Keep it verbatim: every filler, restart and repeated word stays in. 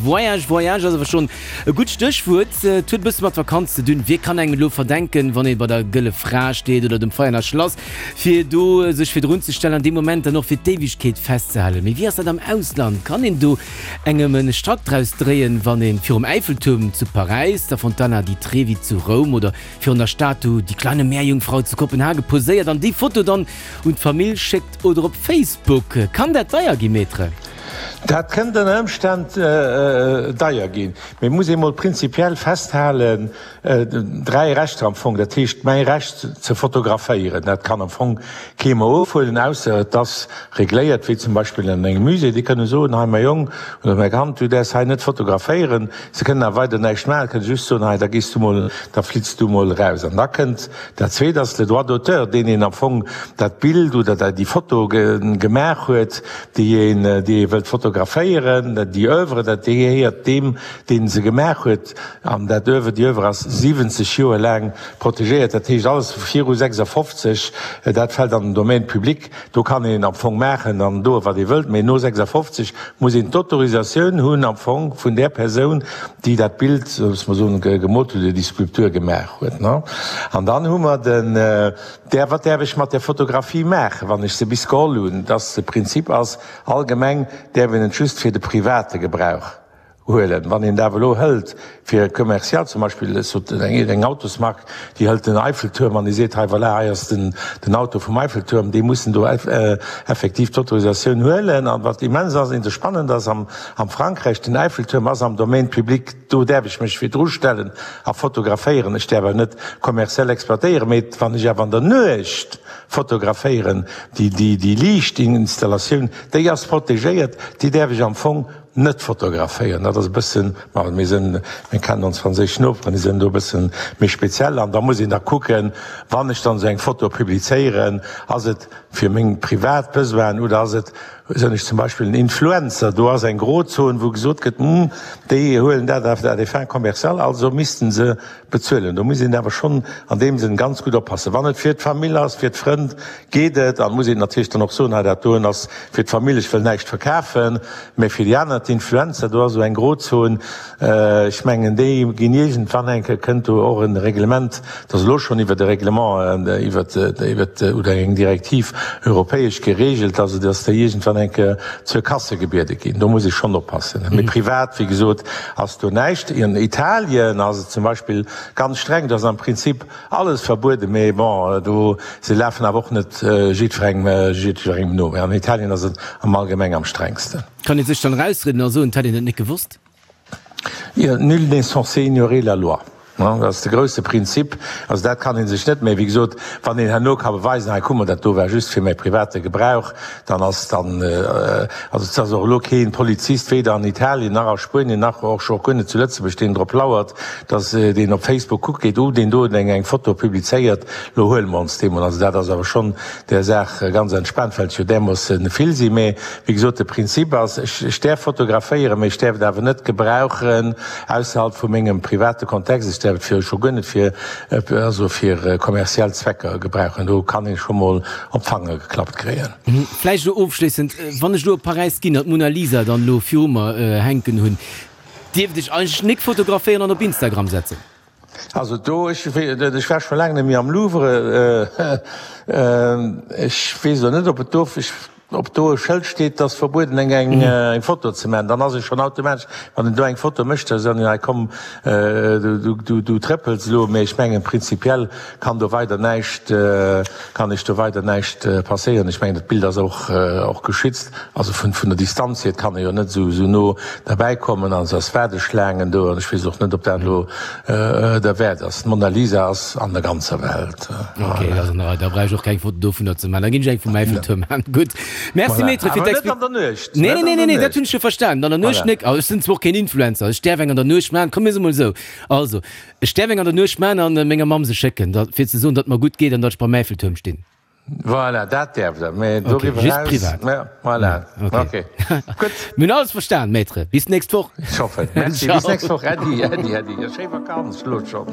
Voyage, Voyage ass awer schonn e gutt Stéchwuert. Et huet e bësse mat Vakanz ze dinn. Wie kann engem elo verdenken, wann ee bei der Gëlle Fra steet oder dem Veianer Schlass, fir do sech virdrun ze stellen an dee Moment dann och fir d'Éiwegkeet festzehalen? Mee wéi ass dat am Ausland? Kann een do engem e Strack draus dréien, wann ee virum Äiffeltuerm zu Paräis, der Fontana di Trevi zu Roum oder virun der Statu Die kleine Meerjungfrau zu Kopenhage poséiert an déi Foto dann un d'Famill schéckt oder op Facebook? Kann dat deier gi, Maître? Dat kënnt ënner Ëmstänn deier ginn. Mee et muss ee mol prinzipiell festhalen, dräi Rechter am Fong, dat heescht mäi Recht ze fotograféieren, dat kann am Fong kee mer ofhuelen, ausser et ass regléiert, wéi zum Beispill an engem Musée. Déi kënne soen, hei mäi Jong oder mäi Kand, du däerfs hei net fotograféieren. Se kënnen awer weider näischt maachen, kënne just soen, hei da gees du mol, da flitts du mol eraus. An da kënnt dat Zweet, ass le droit d'auteur, deen een am Fong dat Bild oder déi Foto gemaach huet, déi een, déi ee wëllt fotograféieren, déi Oeuvre, dat gehéiert deem, deen se gemaach huet, an dat Oeuvre, déi Oeuvre ass siwwenzeg Joer laang protegéiert, dat heescht alles viru sechsafofzeg, dat fält an den Domaine public, do kann een am Fong maachen an doen, wat ee wëllt, mee no sechsafofzeg muss een d'Autorisatioun hunn am Fong vun där Persoun, déi dat Bild, loosse mer soen, gemoolt huet oder déi Skulptur gemaach huet. An dann hu mer den, där, wat däerf ech mat där Fotografie maachen, wann ech se bis geholl hunn, dass de Prinzip ass, Allgemeng däerf een et just fir de private Gebrauch huelen. Wann een et awer elo hëlt fir commercial, zum Beispill ech sot eng Autosmark, déi hëlt den Eiffeltuerm an déi seet, hei voilà, hei ass den den Auto vum Eiffeltuerm, déi mussen do effektiv d'Autorisatioun huelen. An wat immens ass, spannend ass am am Frankräich, den Eiffeltuerm ass am Domaine public, do däerf ech mech virdru stellen a fotograféieren. Ech däerf awer net kommerziell exploitéieren, mee wann ech awer an der Nuecht fotograféieren, déi déi déi Liichtinstallatioun, déi ass protegéiert, déi däerf ech am Fong net fotograféieren. Dat ass e bëssen, ma mir sinn, mir kennen ons franséisch Noperen, déi sinn do e bëssen méi speziell. An da muss een da kucken, wann ech dann esou eng Foto publizéieren, ass et fir meng privat Besoinen oder ass et, sinn ech zum Beispill en Influencer, do ass eng Grozon, wou gesot gëtt, hm, déi huelen dat à des fins commerciales, also missten se bezuelen. Do muss een awer schonn an deem Sënn ganz gutt oppassen. Wann et fir d'Famill ass, fir d'Frënn, geet et. An muss een natierlech dann och soen, hei dat doen ass fir d'Famill, ech wëll näischt verkafen. Mä fir déi aner, d'Influencer, do ass esou eng Grozon. Ech mengen, déi ginn iergendwann eng Kéier, kënnt do och e Reglement, et ass elo schonn iwwert e Reglement, iwwert, iwwert oder eng Direktiv europäesch geregelt, also datt déi iergendwann eng Kéier zur Kasse gebiede ginn. Do muss ee schonn oppassen. Mee privat, wéi gesot, ass do näischt. An Italien ass et zum Beispill ganz streng, do ass am Prinzip alles verbueden, mee bon, do, se lafen awer och net jiddwerengem, jiddwerengem no. Mee an Italien ass et am Allgemeng am strengsten. Kann ee sech dann erausrieden a soen, et hätt een et net gewosst? Jo, nul n'est censé ignorer la loi. Dat ass de grousse Prinzip. Also dat kann ee sech net méi, wéi gesot, wann een herno ka beweisen, hei kuck mol, dat do war just fir mäi private Gebrauch, dann ass dann, also et ass och elo kee Polizist, weder an Italien nach a Spuenien nach och scho guer net zu Lëtzebuerg, deen drop lauert, dass deen op Facebook kuckt geet, oh deen do huet eng eng Foto publizéiert, lo huele mer ons dee mol. Also dat ass awer schonn där Saach ganz entspaant, well et jo därmoosse vill sinn. Mä wéi gesot, de Prinzip ass, ech ech däerf fotograféieren, mä ech däerf et awer net gebrauchen ausserhalb vu mengem private Kontext. Ech däerf et fir scho guer net fir also fir kommerziell Zwecker gebrauchen. Do kann ee scho mol op d'Fanger geklappt kréien. Vläicht elo ofschléissend, Wann ech elo op Paräis ginn an d'Mona Lisa dann elo viru mer hänken hunn, dierft ech eigentlech nik fotograféieren an op Instagram setzen? Also do, ech ech war scho laang net méi am Louvre, ech weess elo net, ob et do, ech Ob do e Schëld steet, 't ass verbueden eng eng Foto ze maachen, dann ass e schonn automatesch, wann en do eng Foto mécht, da soen hei komm du du trëppels elo. Mee ech mengen prinzipiell kann do weider näischt, kann ech do weider näischt passéieren. Ech mengen dat Bild ass och och geschützt, also vun vun der Distanz hier, et kann e jo net esou esou no derbäi kommen an se ass Waardeschlaangen do an ech weess och net, ob dat elo derwäert ass. D'Mona Lisa ass an der ganzer Welt. Ok, dat ass an der Rei. Da brauch ech och keng Foto dovunner ze maachen. Da ginn ech eng vum Eiffeltuerm maachen. Gutt. Merci Voilà. Maître fir Awer net d'Expli. an der Nuecht. Nee, Net nee, an nee, der nee, nee, dat Nuecht. hunn ech jo verstanen. An der Nuecht Voilà. nek. Also ech sinn zwar och keen Influencer. Ech däerf eng an der Nuecht maachen. Komm mir soe mol esou. Also, ech däerf eng an der Nuecht maachen an menger Mamm se schécken, da fir ze soen, datt et mer gutt geet an datt ech beim Eiffeltuerm stinn. Voilà, dat däerf der. Mee Ok, doriwwer just eraus, privat. ja, voilà. Ja, ok. Ok. Gutt. Mir hunn alles verstan, Maître. Bis d'nächst Woch. Ech hoffen. Merci. Bis Ciao. nächst Woch. Äddi, äddi, äddi. A schéi Vakanz elo schonn.